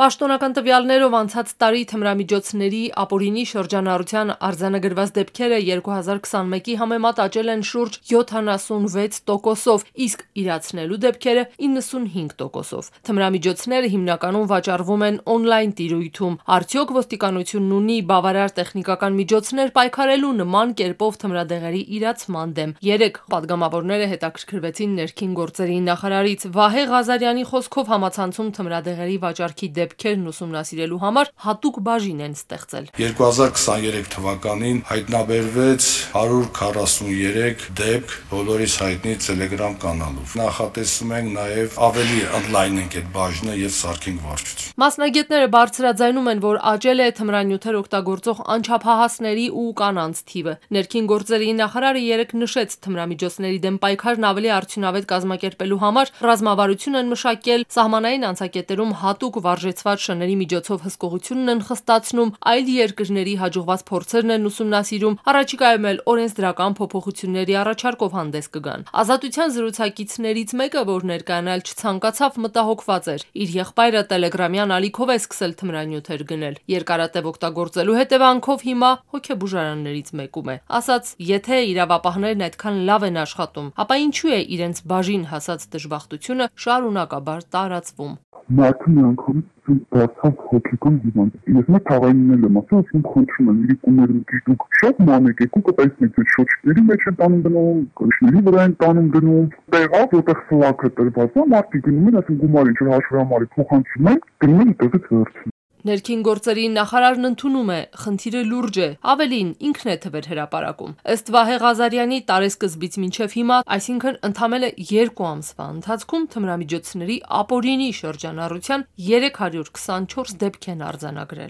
Պաշտոնական տվյալներով անցած տարի թմրամիջոցների ապօրինի շրջանառության արձանագրված դեպքերը 2021-ի համեմատ աճել են շուրջ 76%, իսկ իրացնելու դեպքերը 95%. Թմրամիջոցները հիմնականում վաճառվում են օնլայն տիրույթում։ Արդյոք ոստիկանությունն ունի բավարար տեխնիկական միջոցներ պայքարելու նման կերպով թմրադեղերի իրացման դեմ։ Երեկ պատգամավորները հետաքրքրվեցին ներքին գործերի նախարարից։ Վահե Ղազարյանի խոսքով համացանցում թմրադեղերի վաճառքի դեպքերն ուսումնասիրելու համար հատուկ բաժին են ստեղծել։ 2023 թվականին հայտնաբերվեց 143 դեպք բոլորիս հայտնի Telegram կանալով։ Նախատեսում ենք նաև ավելի ընդլայնենք այդ բաժինը եւ սարքենք վարչություն։ Մասնագետները բարձրաձայնում են, որ աճել է թմրանյութեր օգտագործող անչափահասների ու կանանց թիվը։ Ներքին գործերի նախարարը երեկ նշեց, թմրամիջոցների դեմ պայքարն ավելի արդյունավետ կազմակերպելու համար ռազմավարություն են մշակել, սահմանային անցակետերում հատուկ վարժեցված շների միջոցով հսկողությունն են խստացնում, այլ երկրների հաջողված փորձերն են ուսումնասիրում, առաջիկայում էլ օրենսդրական փոփոխությունների առաջարկով հանդես կգան։ Ազատության զրուցակիցներից մեկը, որ ներկայանալ չցանկացավ, մտահոգված էր։ Իր եղբայրը տելեգրամյան ալիքով է սկսել թմրանյութեր գնել։ Երկարատև օգտագործելու հետևանքով հիմա հոգեբուժարաններից մեկում է։ Ասաց, եթե իրավապահներն այդքան լավ են աշխատում, ապա ինչու է իրենց բաժին հասած դժբախտությունը շարունակաբար տարածվում։ Մարդը մի անգամ դարձավ հոգեկան հիվանդ։ Ես մեկ թաղայինն եմ ասում, ասում խնդրում եմ, իրիկուները դուք շատ մանեք եք ու կտեսնեք, որ շոչների մեջ են տանում գնում, կրիշների վրա են տանում գնում, տեղավ որտեղ սլաքը տրված է, մարդիկ գնում են, ասում գումար ինչ որ հաշվի համար փոխանցում են, գնում են այդտեղից վերցնում։ Ներքին գործերի նախարարն ընդունում է, խնդիրը լուրջ է, ավելին ինքն է թվեր հրապարակում։ Ըստ Վահե Ղազարյանի տարեսկզբից մինչև հիմա, այսինքն ընդամենը 2 ամսվա ընթացքում թմրամիջոցների ապօրինի շրջանառության 324 դեպք են արձանագրել։